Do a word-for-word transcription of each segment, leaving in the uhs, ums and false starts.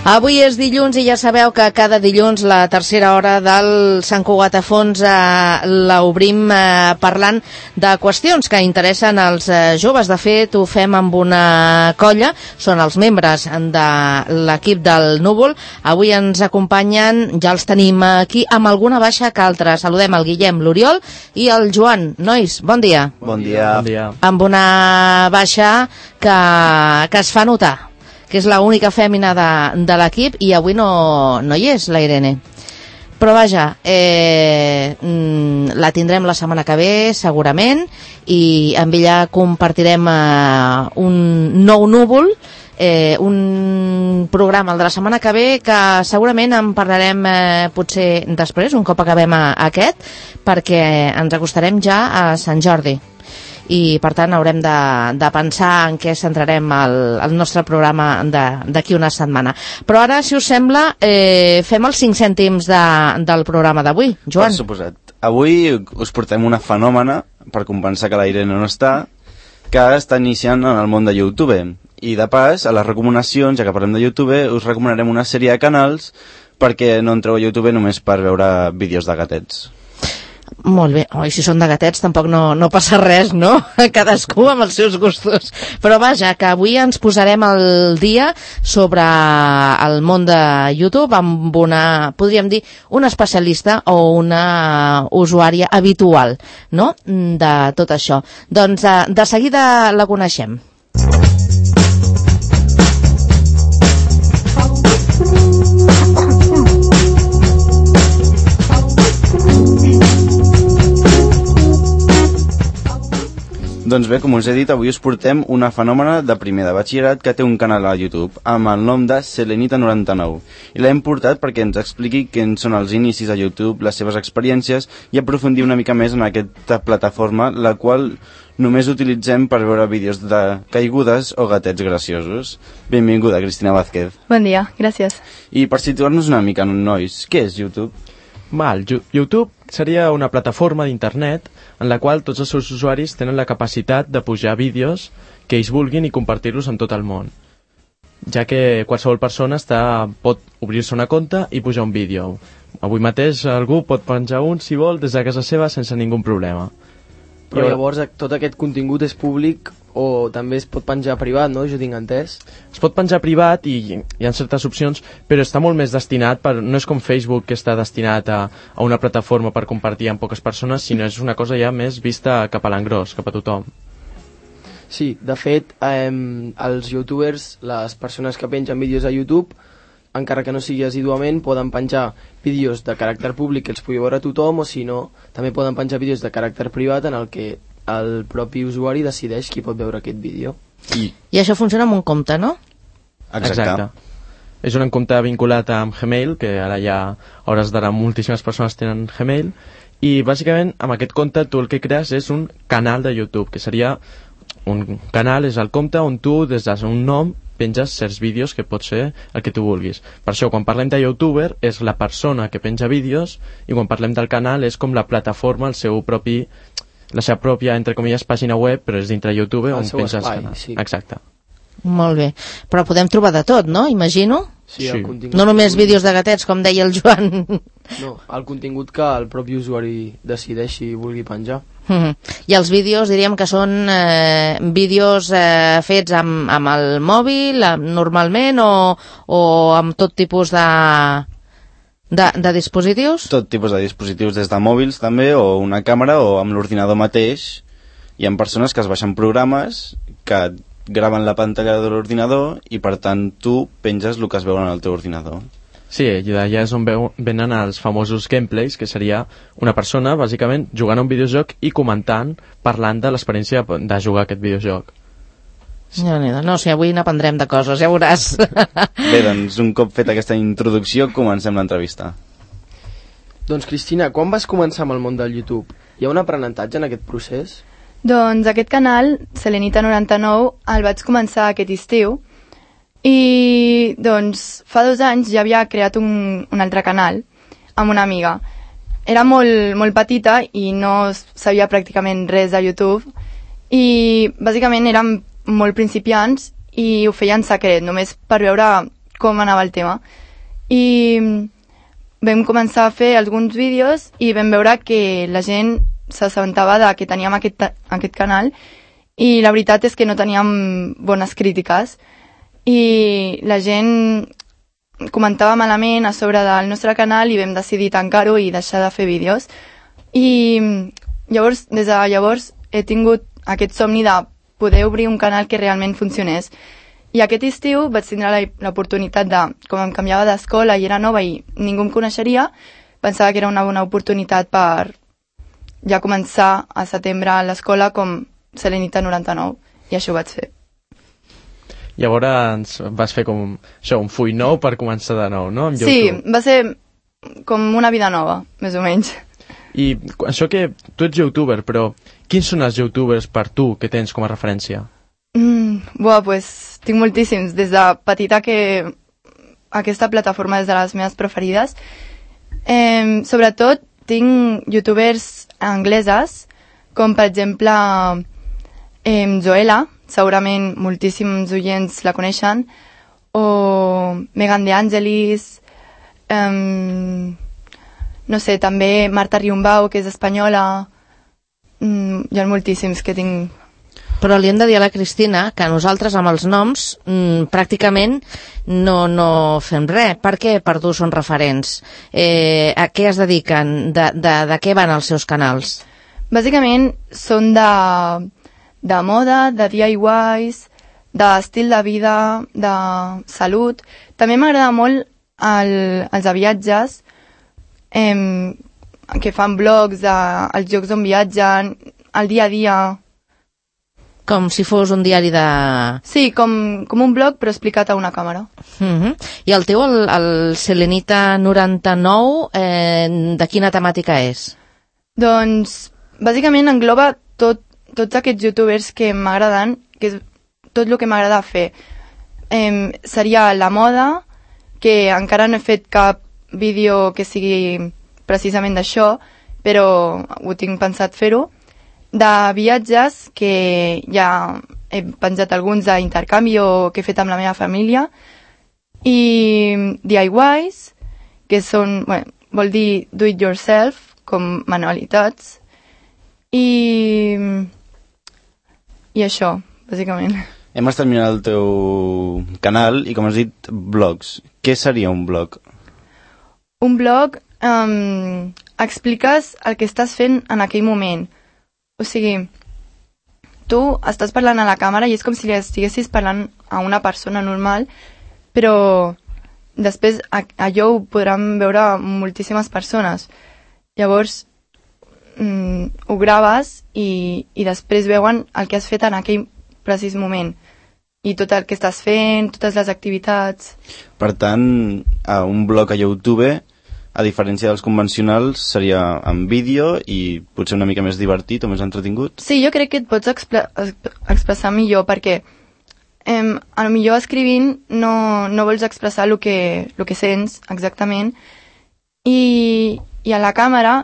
Avui és dilluns i ja sabeu que cada dilluns la tercera hora del Sant Cugat a Fons eh, l'obrim eh, parlant de qüestions que interessen als eh, joves. De fet, ho fem amb una colla, són els membres de l'equip del Núvol. Avui ens acompanyen, ja els tenim aquí, amb alguna baixa que altra. Saludem el Guillem, l'Oriol i el Joan. Nois, bon dia. Bon dia. Bon dia. Amb una baixa que, que es fa notar, que és l'única fèmina de, de l'equip, i avui no, no hi és la Irene. Però vaja, eh, la tindrem la setmana que ve, segurament, i amb ella compartirem eh, un nou núvol, eh, un programa, el de la setmana que ve, que segurament en parlarem eh, potser després, un cop acabem a, a aquest, perquè ens acostarem ja a Sant Jordi. I per tant haurem de, de pensar en què centrarem el, el nostre programa d'aquí una setmana. Però ara, si us sembla, eh, fem els cinc cèntims de, del programa d'avui. Joan. Per suposat. Avui us portem una fenòmena, per compensar que la Irene no està, que està iniciant en el món de YouTube. I de pas, a les recomanacions, ja que parlem de YouTube, us recomanarem una sèrie de canals perquè no entreu a YouTube només per veure vídeos de gatets. Molt bé. Oi, si són de gatets tampoc no, no passa res, no? Cadascú amb els seus gustos. Però vaja, que avui ens posarem al dia sobre el món de YouTube amb una, podríem dir, una especialista o una usuària habitual, no?, de tot això. Doncs de seguida la coneixem. Doncs bé, com us he dit, avui us portem una fenòmena de primer de batxillerat que té un canal a YouTube amb el nom de Selenita noranta-nou. I l'hem portat perquè ens expliqui quins són els inicis a YouTube, les seves experiències i aprofundir una mica més en aquesta plataforma, la qual només utilitzem per veure vídeos de caigudes o gatets graciosos. Benvinguda, Cristina Vázquez. Bon dia, gràcies. I per situar-nos una mica, nois, què és YouTube? Val, YouTube seria una plataforma d'internet en la qual tots els seus usuaris tenen la capacitat de pujar vídeos que ells vulguin i compartir-los en tot el món, ja que qualsevol persona està, pot obrir-se una compte i pujar un vídeo. Avui mateix algú pot penjar un, si vol, des de casa seva sense ningú problema. Però llavors tot aquest contingut és públic o també es pot penjar privat, no? Jo tinc entès. Es pot penjar privat i hi ha certes opcions, però està molt més destinat, per, no és com Facebook que està destinat a, a una plataforma per compartir amb poques persones, sinó és una cosa ja més vista cap a l'engròs, cap a tothom. Sí, de fet, eh, els youtubers, les persones que pengen vídeos a YouTube, encara que no sigui assíduament, poden penjar vídeos de caràcter públic que els pugui veure tothom, o si no, també poden penjar vídeos de caràcter privat en el que el propi usuari decideix qui pot veure aquest vídeo. I, I això funciona amb un compte, no? Exacte. Exacte. És un compte vinculat amb Gmail, que ara ja, a hores d'ara, moltíssimes persones tenen Gmail, i bàsicament amb aquest compte tu el que crees és un canal de YouTube, que seria un canal, és el compte on tu, des d'un nom, penges certs vídeos que pot ser el que tu vulguis. Per això, quan parlem de youtuber, és la persona que penja vídeos, i quan parlem del canal és com la plataforma, el seu propi, la seva pròpia, entre comilles, pàgina web, però és dintre YouTube on penja els canals. Sí. Exacte. Molt bé. Però podem trobar de tot, no? Imagino. Sí, el Sí. contingut... No només vídeos de gatets, com deia el Joan. No, el contingut que el propi usuari decideixi i vulgui penjar. Mm-hmm. I els vídeos diríem que són eh, vídeos eh, fets amb, amb el mòbil, amb, normalment, o, o amb tot tipus de, de, de dispositius? Tot tipus de dispositius, des de mòbils també, o una càmera, o amb l'ordinador mateix. Hi ha persones que es baixen programes que graven la pantalla de l'ordinador i per tant tu penges el que es veu en el teu ordinador. Sí, i d'allà és on veu, venen els famosos gameplays, que seria una persona, bàsicament, jugant a un videojoc i comentant, parlant de l'experiència de jugar a aquest videojoc. No, no, no, si avui n'aprendrem de coses, ja veuràs. Bé, doncs un cop fet aquesta introducció comencem l'entrevista. Doncs Cristina, quan vas començar amb el món del YouTube? Hi ha un aprenentatge en aquest procés? Doncs aquest canal, Selenita noranta-nou, el vaig començar aquest estiu i doncs fa dos anys ja havia creat un, un altre canal amb una amiga. Era molt, molt petita i no sabia pràcticament res de YouTube i bàsicament érem molt principiants i ho feia en secret, només per veure com anava el tema. I vam començar a fer alguns vídeos i vam veure que la gent s'assabentava de que teníem aquest, aquest canal i la veritat és que no teníem bones crítiques i la gent comentava malament a sobre del nostre canal i vam decidir tancar-ho i deixar de fer vídeos. I llavors, des de llavors he tingut aquest somni de poder obrir un canal que realment funcionés. I aquest estiu vaig tindre l'oportunitat de, com em canviava d'escola i era nova i ningú em coneixeria, pensava que era una bona oportunitat per ja començar a setembre a l'escola com Selenita noranta-nou, i això ho vaig fer. Llavors vas fer com això, un full nou per començar de nou, no? Amb sí, YouTube. Va ser com una vida nova, més o menys. I això que tu ets youtuber, però quins són els youtubers per tu que tens com a referència? Mm, buah, pues tinc moltíssims. Des de petita que aquesta plataforma és de les meves preferides. Eh, sobretot tinc youtubers angleses, com per exemple eh, Joella, segurament moltíssims oients la coneixen, o Megan De Angelis, eh, no sé, també Marta Riumbau, que és espanyola, mm, hi ha moltíssims que tinc. Però li hem de dir a la Cristina que nosaltres amb els noms mmm, pràcticament no, no fem res. Per què per tu són referents? Eh, a què es dediquen? De, de, de què van els seus canals? Bàsicament són de, de moda, de D I Ys, d'estil de vida, de salut. També m'agrada molt el, els de viatges, eh, que fan blogs dels llocs on viatgen, el dia a dia. Com si fos un diari de... Sí, com, com un blog, però explicat a una càmera. Uh-huh. I el teu, el, el Selenita noranta-nou, eh, de quina temàtica és? Doncs, bàsicament engloba tot, tots aquests youtubers que m'agraden, que és tot el que m'agrada fer. Eh, seria la moda, que encara no he fet cap vídeo que sigui precisament d'això, però ho tinc pensat fer-ho. De viatges, que ja he penjat alguns d'intercanvi o que he fet amb la meva família, i D I Ys, que són, bueno, vol dir do it yourself, com manualitats, i, i això, bàsicament. Hem estat mirant el teu canal i, com has dit, blogs. Què seria un blog? Un blog um, expliques el que estàs fent en aquell moment. O sigui, tu estàs parlant a la càmera i és com si li estiguessis parlant a una persona normal, però després allò ho podran veure moltíssimes persones. Llavors, mm, ho graves i, i després veuen el que has fet en aquell precís moment. I tot el que estàs fent, totes les activitats. Per tant, a un blog a YouTube, a diferència dels convencionals, seria en vídeo i potser una mica més divertit o més entretingut? Sí, jo crec que et pots expre expressar millor, perquè eh, a lo millor escrivint no, no vols expressar el que, el que sents exactament, i, i a la càmera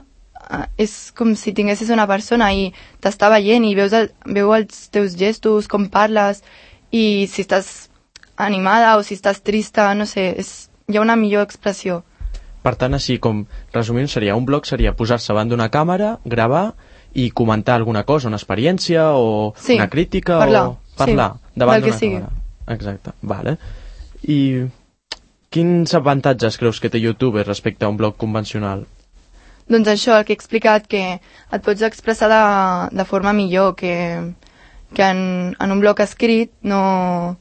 eh, és com si tinguessis una persona i t'està veient i veus el, veu els teus gestos, com parles, i si estàs animada o si estàs trista, no sé, és, hi ha una millor expressió. Per tant, així com resumint, seria un blog seria posar-se davant d'una càmera, gravar i comentar alguna cosa, una experiència o sí, una crítica parlar, o parlar sí, davant d'una sigui. càmera. Exacte, vale. I quins avantatges creus que té YouTube respecte a un blog convencional? Doncs això, el que he explicat, que et pots expressar de, de forma millor, que, que en, en un blog escrit no,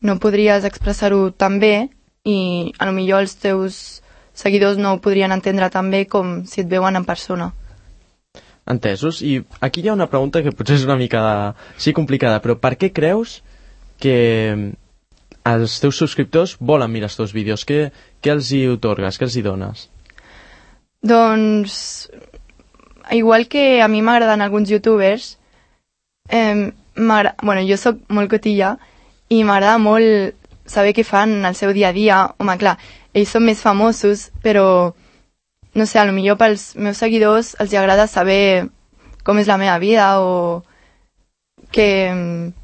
no podries expressar-ho tan bé i a lo millor els teus seguidors no ho podrien entendre tan bé com si et veuen en persona. Entesos. I aquí hi ha una pregunta que potser és una mica de... sí, complicada, però per què creus que els teus subscriptors volen mirar els teus vídeos? Què, què els hi otorgues? Què els hi dones? Doncs, igual que a mi m'agraden alguns youtubers, eh, bueno, jo sóc molt cotilla i m'agrada molt saber què fan el seu dia a dia. Home, clar, ells són més famosos, però, no sé, potser pels meus seguidors els agrada saber com és la meva vida, o que,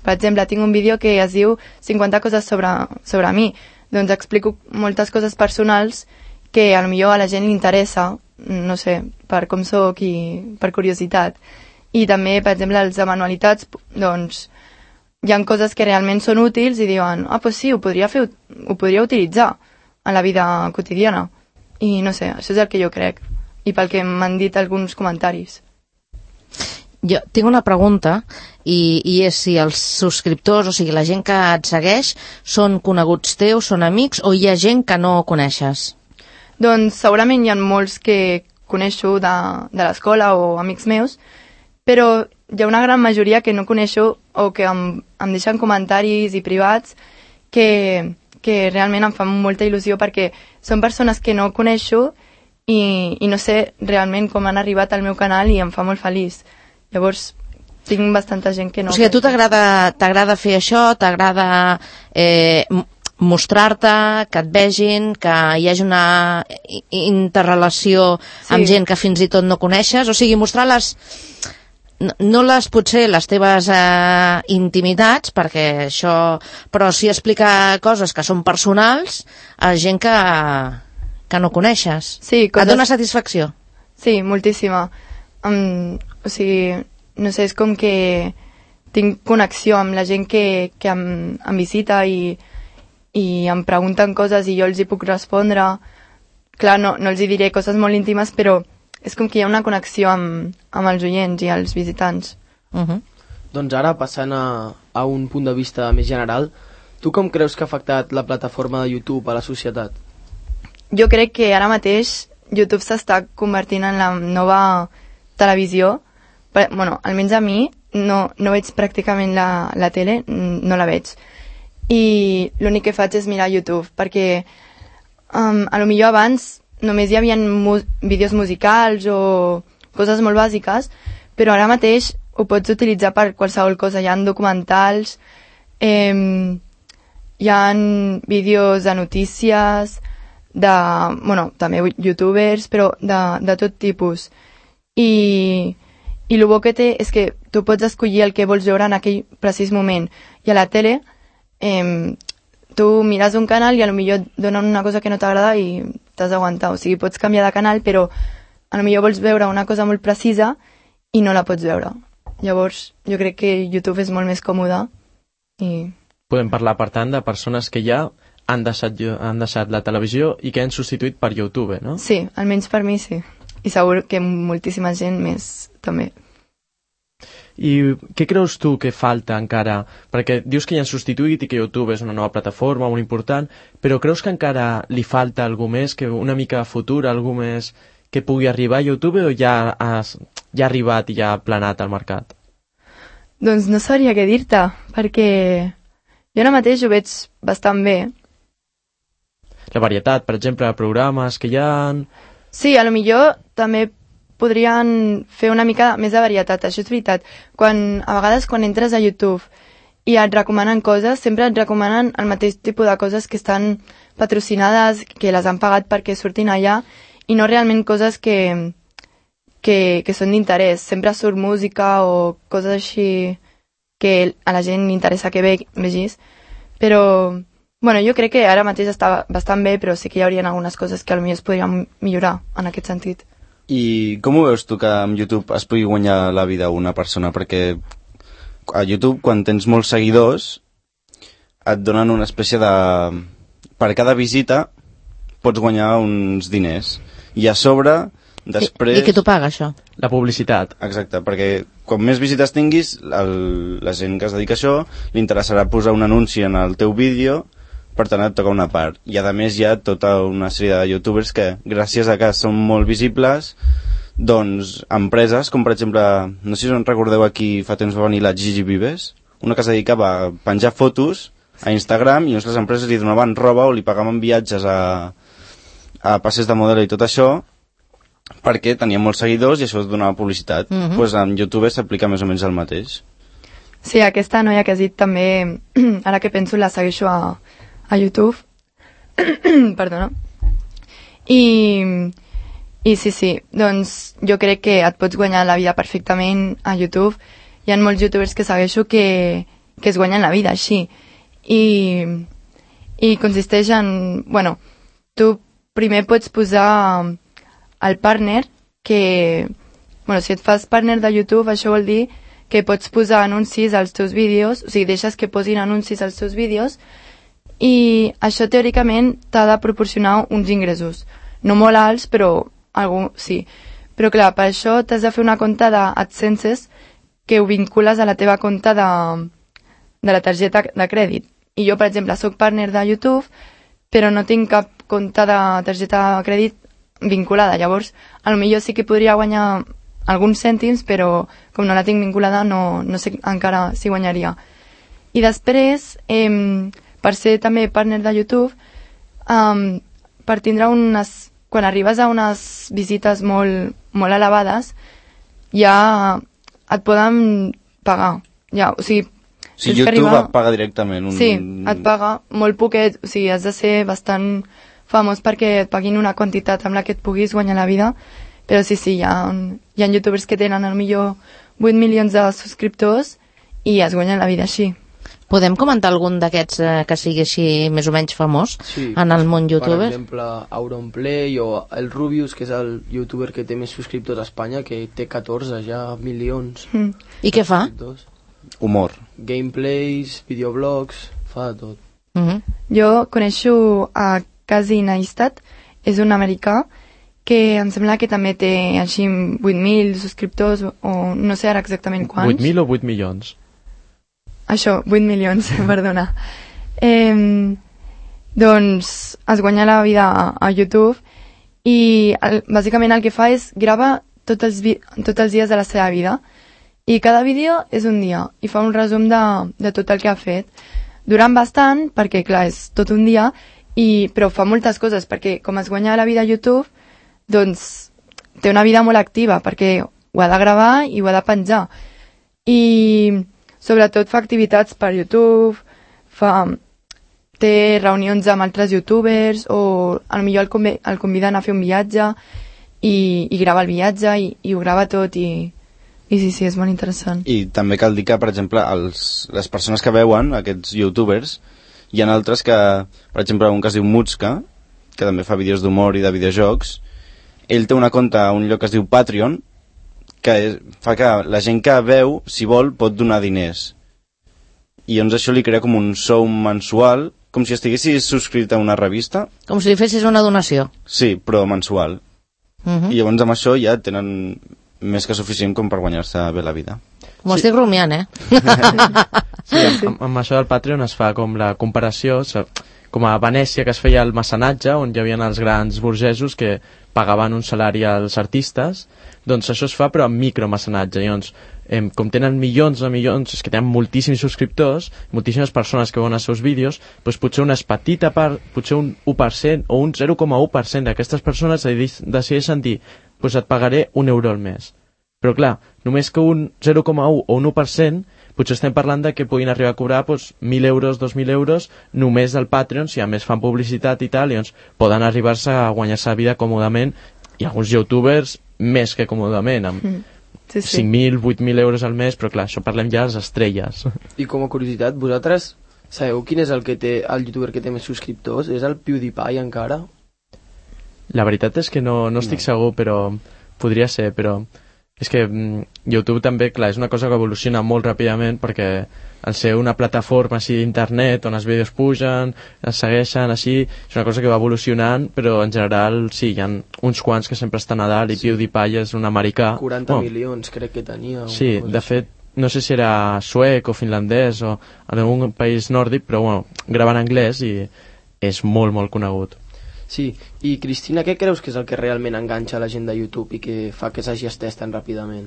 per exemple, tinc un vídeo que es diu cinquanta coses sobre, sobre mi. doncs explico moltes coses personals que a lo millor a la gent li interessa, no sé, per com sóc i per curiositat. I també, per exemple, els de manualitats, doncs, hi ha coses que realment són útils i diuen, ah, doncs sí, ho podria, fer, ho podria utilitzar a la vida quotidiana. I no sé, això és el que jo crec. I pel que m'han dit alguns comentaris. Jo tinc una pregunta i, i és si els subscriptors, o sigui, la gent que et segueix, són coneguts teus, són amics, o hi ha gent que no coneixes? Doncs segurament hi ha molts que coneixo de, de l'escola o amics meus, però hi ha una gran majoria que no coneixo o que em, em deixen comentaris i privats que, que realment em fan molta il·lusió perquè són persones que no coneixo i, i no sé realment com han arribat al meu canal i em fa molt feliç. Llavors, tinc bastanta gent que no... O sigui, a tu t'agrada t'agrada fer això, t'agrada eh, mostrar-te, que et vegin, que hi hagi una interrelació sí. amb gent que fins i tot no coneixes, o sigui, mostrar les... No, no les, potser, les teves eh, intimitats, perquè això... Però sí explicar coses que són personals a gent que, que no coneixes. Sí, coses... Et dona satisfacció? Sí, moltíssima. Um, o sigui, no sé, és com que tinc connexió amb la gent que, que em, em visita i, i em pregunten coses i jo els hi puc respondre. Clar, no, no els hi diré coses molt íntimes, però és com que hi ha una connexió amb, amb els oients i els visitants. Uh -huh. Doncs ara, passant a, a un punt de vista més general, tu com creus que ha afectat la plataforma de YouTube a la societat? Jo crec que ara mateix YouTube s'està convertint en la nova televisió. Però, bueno, almenys a mi no, no veig pràcticament la, la tele, no la veig. I l'únic que faig és mirar YouTube, perquè um, a lo millor abans només hi havia mu vídeos musicals o coses molt bàsiques, però ara mateix ho pots utilitzar per qualsevol cosa. Hi ha documentals, eh, hi ha vídeos de notícies, de, bueno, també youtubers, però de, de tot tipus. I, i el bo que té és que tu pots escollir el que vols veure en aquell precís moment. I a la tele, eh, tu mires un canal i a lo millor donen una cosa que no t'agrada i t'has d'aguantar. O sigui, pots canviar de canal, però a lo millor vols veure una cosa molt precisa i no la pots veure. Llavors, jo crec que YouTube és molt més còmode. I... Podem parlar, per tant, de persones que ja han deixat, han deixat la televisió i que han substituït per YouTube, no? Sí, almenys per mi sí. I segur que moltíssima gent més també. I què creus tu que falta encara? Perquè dius que ja han substituït i que YouTube és una nova plataforma molt important, però creus que encara li falta algú més, que una mica futur, algú més que pugui arribar a YouTube, o ja, has, ja ha arribat i ja ha planat al mercat? Doncs no sabria què dir-te, perquè jo ara mateix ho veig bastant bé. La varietat, per exemple, de programes que hi ha... Sí, a lo millor també podrien fer una mica més de varietat, això és veritat. Quan, a vegades quan entres a YouTube i et recomanen coses, sempre et recomanen el mateix tipus de coses que estan patrocinades, que les han pagat perquè surtin allà, i no realment coses que, que, que són d'interès. Sempre surt música o coses així que a la gent li interessa que ve, vegis. Però, bueno, jo crec que ara mateix està bastant bé, però sí que hi haurien algunes coses que potser es podrien millorar en aquest sentit. I com ho veus tu que amb YouTube es pugui guanyar la vida una persona? Perquè a YouTube, quan tens molts seguidors, et donen una espècie de... Per cada visita pots guanyar uns diners. I a sobre, després... I, i què t'ho paga, això? La publicitat. Exacte, perquè quan més visites tinguis, el, la gent que es dedica a això li interessarà posar un anunci en el teu vídeo, per tant et toca una part. I a més hi ha tota una sèrie de youtubers que, gràcies a que són molt visibles, doncs empreses, com per exemple, no sé si us recordeu, aquí fa temps va venir la Gigi Vives, una que es dedicava a penjar fotos a Instagram i les empreses li donaven roba o li pagaven viatges a, a passes de model i tot això, perquè tenia molts seguidors i això es donava publicitat. Doncs mm-hmm. pues en YouTube s'aplica més o menys el mateix. Sí, aquesta noia que has dit també, ara que penso, la segueixo a, a YouTube. Perdona. I, I sí, sí, doncs jo crec que et pots guanyar la vida perfectament a YouTube. Hi ha molts youtubers que segueixo que, que es guanyen la vida així. I, i consisteix en... Bueno, tu primer pots posar el partner, que... Bueno, si et fas partner de YouTube, això vol dir que pots posar anuncis als teus vídeos, o sigui, deixes que posin anuncis als teus vídeos, i això teòricament t'ha de proporcionar uns ingressos. No molt alts, però algú sí. Però clar, per això t'has de fer una compte d'AdSense que ho vincules a la teva compte de, de la targeta de crèdit. I jo, per exemple, soc partner de YouTube, però no tinc cap compte de targeta de crèdit vinculada. Llavors, potser sí que podria guanyar alguns cèntims, però com no la tinc vinculada no, no sé encara si guanyaria. I després, eh, per ser també partner de YouTube, eh, per tindre unes... Quan arribes a unes visites molt, molt elevades, ja et poden pagar. Ja, o sigui, si YouTube arribar... et paga directament. Un... Sí, et paga molt poquet, o sigui, has de ser bastant famós perquè et paguin una quantitat amb la que et puguis guanyar la vida, però sí, sí, hi ha, hi ha youtubers que tenen al millor vuit milions de subscriptors i es guanyen la vida així. Podem comentar algun d'aquests eh, que sigui així més o menys famós sí, en el món youtuber? Per exemple, Auronplay o el Rubius, que és el youtuber que té més subscriptors a Espanya, que té catorze ja milions. Mm. I què fa? Humor. Gameplays, videoblogs, fa de tot. Mm -hmm. Jo coneixo a Casey Neistat, és un americà que em sembla que també té així vuit mil subscriptors, o no sé ara exactament quants. vuit mil o vuit milions? Això, vuit milions, perdona. Eh, doncs es guanya la vida a, a YouTube i el, bàsicament el que fa és grava tots els, vi, tots els dies de la seva vida i cada vídeo és un dia i fa un resum de, de tot el que ha fet. Durant bastant, perquè clar, és tot un dia, i, però fa moltes coses, perquè com es guanya la vida a YouTube, doncs té una vida molt activa, perquè ho ha de gravar i ho ha de penjar. I... sobretot fa activitats per YouTube, fa, té reunions amb altres youtubers o potser el, conv el conviden a fer un viatge i, i grava el viatge i, i ho grava tot i, i sí, sí, és molt interessant. I també cal dir que, per exemple, els, les persones que veuen aquests youtubers, hi ha altres que, per exemple, un que es diu Mutska, que també fa vídeos d'humor i de videojocs, ell té una compte a un lloc que es diu Patreon, que és, fa que la gent que veu, si vol, pot donar diners. I llavors això li crea com un sou mensual, com si estiguessis subscrit a una revista. Com si li fessis una donació. Sí, però mensual. Uh -huh. I llavors amb això ja tenen més que suficient com per guanyar-se bé la vida. M'ho sí. estic rumiant, eh? Sí, amb, amb això del Patreon es fa com la comparació, com a Venècia, que es feia el mecenatge, on hi havia els grans burgesos que pagaven un salari als artistes. Doncs això es fa però amb micromecenatge. Llavors, eh, com tenen milions de milions, és que tenen moltíssims subscriptors, moltíssimes persones que veuen els seus vídeos, doncs potser una petita part, potser un u per cent o un zero coma u per cent d'aquestes persones decideixen dir, doncs et pagaré un euro al mes. Però clar, només que un zero coma u o un u per cent, potser estem parlant de que puguin arribar a cobrar doncs, mil euros, dos mil euros només del Patreon, si a més fan publicitat i tal, i doncs poden arribar-se a guanyar-se la vida còmodament, i alguns youtubers més que còmodament, amb mm. sí, sí. cinc mil, vuit mil euros al mes, però clar, això parlem ja de les estrelles. I com a curiositat, vosaltres sabeu quin és el que té el youtuber que té més subscriptors? És el PewDiePie encara? La veritat és que no, no estic no. segur, però podria ser, però és que mm, YouTube també, clar, és una cosa que evoluciona molt ràpidament, perquè al ser una plataforma així d'internet on els vídeos pugen, es segueixen així, és una cosa que va evolucionant, però en general sí, hi ha uns quants que sempre estan a dalt i sí. PewDiePie és un americà. quaranta oh. milions crec que tenia. Sí, de fet, no sé si era suec o finlandès o en algun país nòrdic, però bueno, grava en anglès i és molt, molt conegut. Sí, i Cristina, què creus que és el que realment enganxa la gent de YouTube i que fa que s'hagi estès tan ràpidament?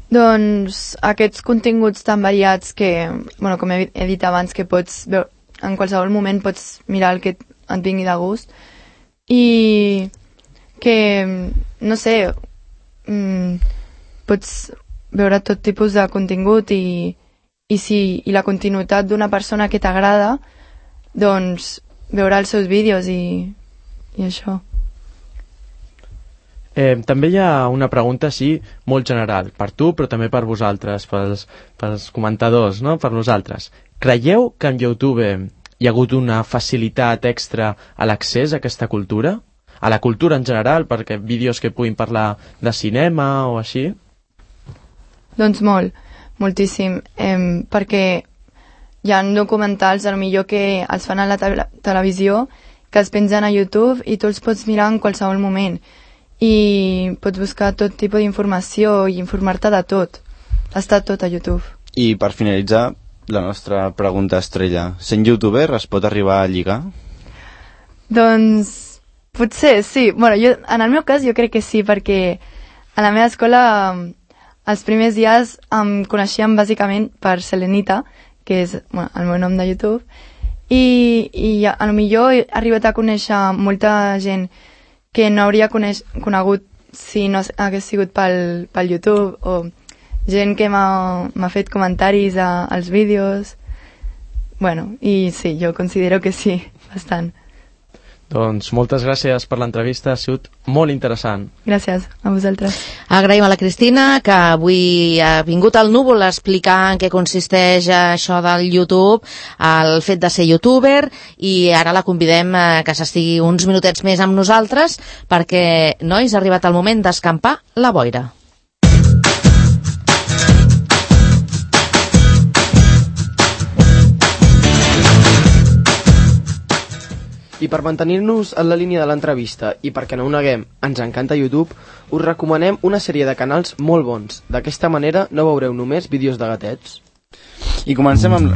Doncs aquests continguts tan variats que, bueno, com he dit abans, que pots veure, en qualsevol moment pots mirar el que et vingui de gust i que, no sé, mmm, pots veure tot tipus de contingut i, i, si, i la continuïtat d'una persona que t'agrada, doncs veure els seus vídeos i, i això. Eh, també hi ha una pregunta així molt general, per tu però també per vosaltres, pels, pels comentadors, no? Per nosaltres. Creieu que en YouTube hi ha hagut una facilitat extra a l'accés a aquesta cultura? A la cultura en general, perquè vídeos que puguin parlar de cinema o així? Doncs molt, moltíssim, eh, perquè hi ha documentals, a lo millor que els fan a la te televisió, que es pengen a YouTube i tu els pots mirar en qualsevol moment. I pots buscar tot tipus d'informació i informar-te de tot. Està tot a YouTube. I per finalitzar, la nostra pregunta estrella. Sent youtuber es pot arribar a lligar? Doncs potser sí. Bueno, jo, en el meu cas jo crec que sí, perquè a la meva escola els primers dies em coneixíem bàsicament per Selenita, que és bueno, el meu nom de YouTube, i, i a lo millor he arribat a conèixer molta gent que no hauria coneix, conegut si no hagués sigut pel, pel YouTube, o gent que m'ha fet comentaris a, als vídeos. Bueno, i sí, jo considero que sí, bastant. Doncs moltes gràcies per l'entrevista, ha sigut molt interessant. Gràcies a vosaltres. Agraïm a la Cristina, que avui ha vingut al Núvol a explicar en què consisteix això del YouTube, el fet de ser youtuber, i ara la convidem a que s'estigui uns minutets més amb nosaltres, perquè, nois, ha arribat el moment d'escampar la boira. I per mantenir-nos en la línia de l'entrevista i perquè no ho neguem, ens encanta YouTube, us recomanem una sèrie de canals molt bons. D'aquesta manera no veureu només vídeos de gatets. I comencem amb...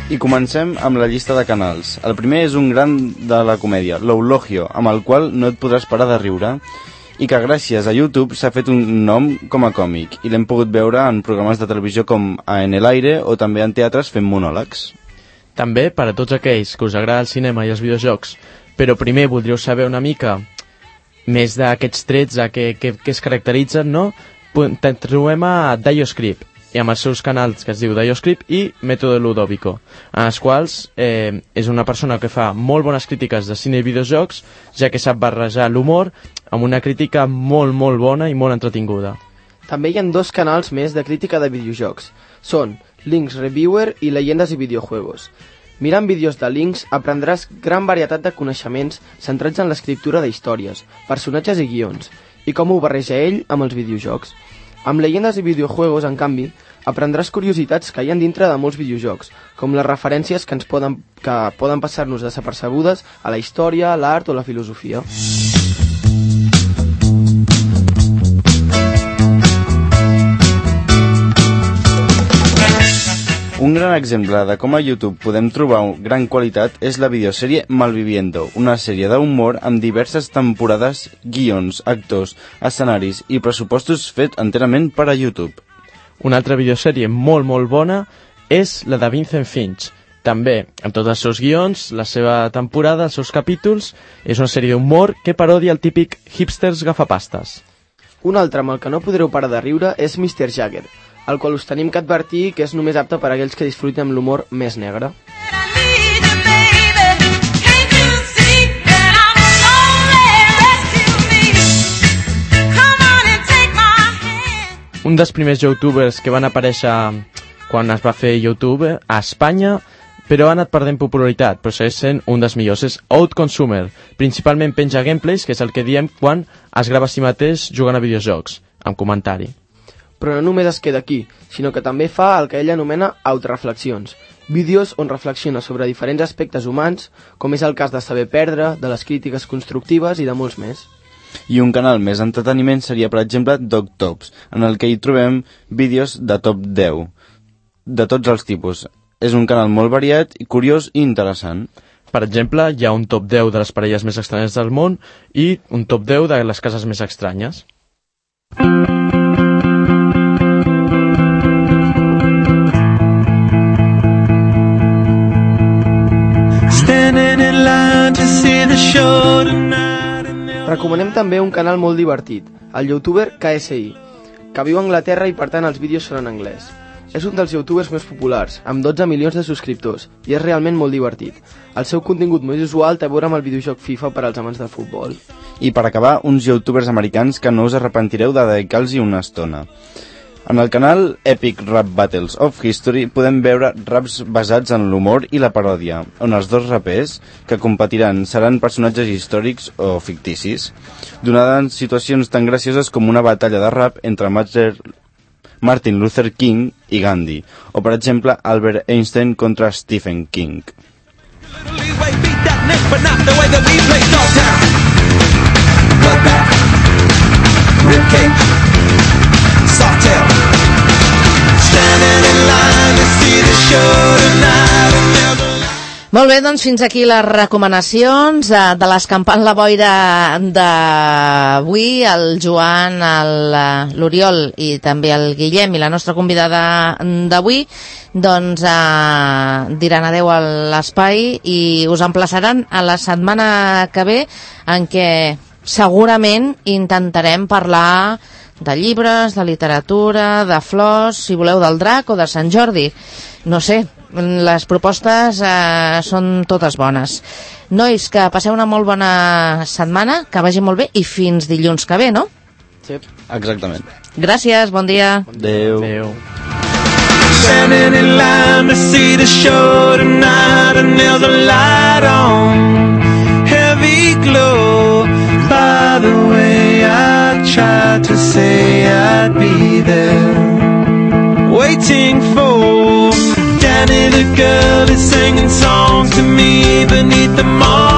I comencem amb la llista de canals. El primer és un gran de la comèdia, l'Eulogio, amb el qual no et podràs parar de riure, i que gràcies a YouTube s'ha fet un nom com a còmic, i l'hem pogut veure en programes de televisió com a En el Aire o també en teatres fent monòlegs. També per a tots aquells que us agrada el cinema i els videojocs, però primer voldríeu saber una mica més d'aquests trets a què, que, que es caracteritzen, no? Trobem a DioScript, i amb els seus canals que es diu DioScript i Método Ludovico, en els quals eh, és una persona que fa molt bones crítiques de cine i videojocs, ja que sap barrejar l'humor amb una crítica molt, molt bona i molt entretinguda. També hi ha dos canals més de crítica de videojocs. Són Links Reviewer i Leyendas i Videojuegos. Mirant vídeos de Links aprendràs gran varietat de coneixements centrats en l'escriptura d'històries, personatges i guions, i com ho barreja ell amb els videojocs. Amb Leyendas i Videojuegos, en canvi, aprendràs curiositats que hi ha dintre de molts videojocs, com les referències que ens poden, que poden passar-nos desapercebudes a la història, l'art o la filosofia. Un gran exemple de com a YouTube podem trobar gran qualitat és la videosèrie Malviviendo, una sèrie d'humor amb diverses temporades, guions, actors, escenaris i pressupostos fet enterament per a YouTube. Una altra videosèrie molt molt bona és la de Vincent Finch. També, amb tots els seus guions, la seva temporada, els seus capítols, és una sèrie d'humor que parodia el típic hipsters gafapastes. Un altre amb el que no podreu parar de riure és mister Jagger, el qual us tenim que advertir que és només apte per a aquells que disfruten amb l'humor més negre. Un dels primers youtubers que van aparèixer quan es va fer YouTube a Espanya, però ha anat perdent popularitat, però segueix sent un dels millors, és Outconsumer. Principalment penja gameplays, que és el que diem quan es grava a si mateix jugant a videojocs, amb comentari. Però no només es queda aquí, sinó que també fa el que ell anomena autoreflexions, vídeos on reflexiona sobre diferents aspectes humans, com és el cas de saber perdre, de les crítiques constructives i de molts més. I un canal més entreteniment seria, per exemple, Dog Tops, en el que hi trobem vídeos de top deu, de tots els tipus. És un canal molt variat, curiós i interessant. Per exemple, hi ha un top deu de les parelles més estranyes del món i un top deu de les cases més estranyes. Recomanem també un canal molt divertit, el youtuber K S I, que viu a Anglaterra i per tant els vídeos són en anglès. És un dels youtubers més populars, amb dotze milions de subscriptors, i és realment molt divertit. El seu contingut més usual té a veure amb el videojoc FIFA per als amants del futbol. I per acabar, uns youtubers americans que no us arrepentireu de dedicar-los una estona. En el canal Epic Rap Battles of History podem veure raps basats en l'humor i la paròdia, on els dos rapers que competiran seran personatges històrics o ficticis, donades situacions tan gracioses com una batalla de rap entre Martin Luther King i Gandhi, o per exemple Albert Einstein contra Stephen King. Molt bé, doncs fins aquí les recomanacions de, de l'escampant la boira d'avui, el Joan, l'Oriol i també el Guillem i la nostra convidada d'avui, doncs eh, diran adeu a l'espai i us emplaçaran a la setmana que ve, en què segurament intentarem parlar de llibres, de literatura, de flors, si voleu del drac o de Sant Jordi. No sé, les propostes eh, són totes bones. Nois, que passeu una molt bona setmana, que vagi molt bé i fins dilluns que ve, no? Sí. Exactament. Gràcies, bon dia. Adéu. Adéu. Standing in line to see the show tonight, and there's a light on, heavy glow. By the way, I tried to say I'd be there, waiting for Danny the girl is singing songs to me beneath the moon.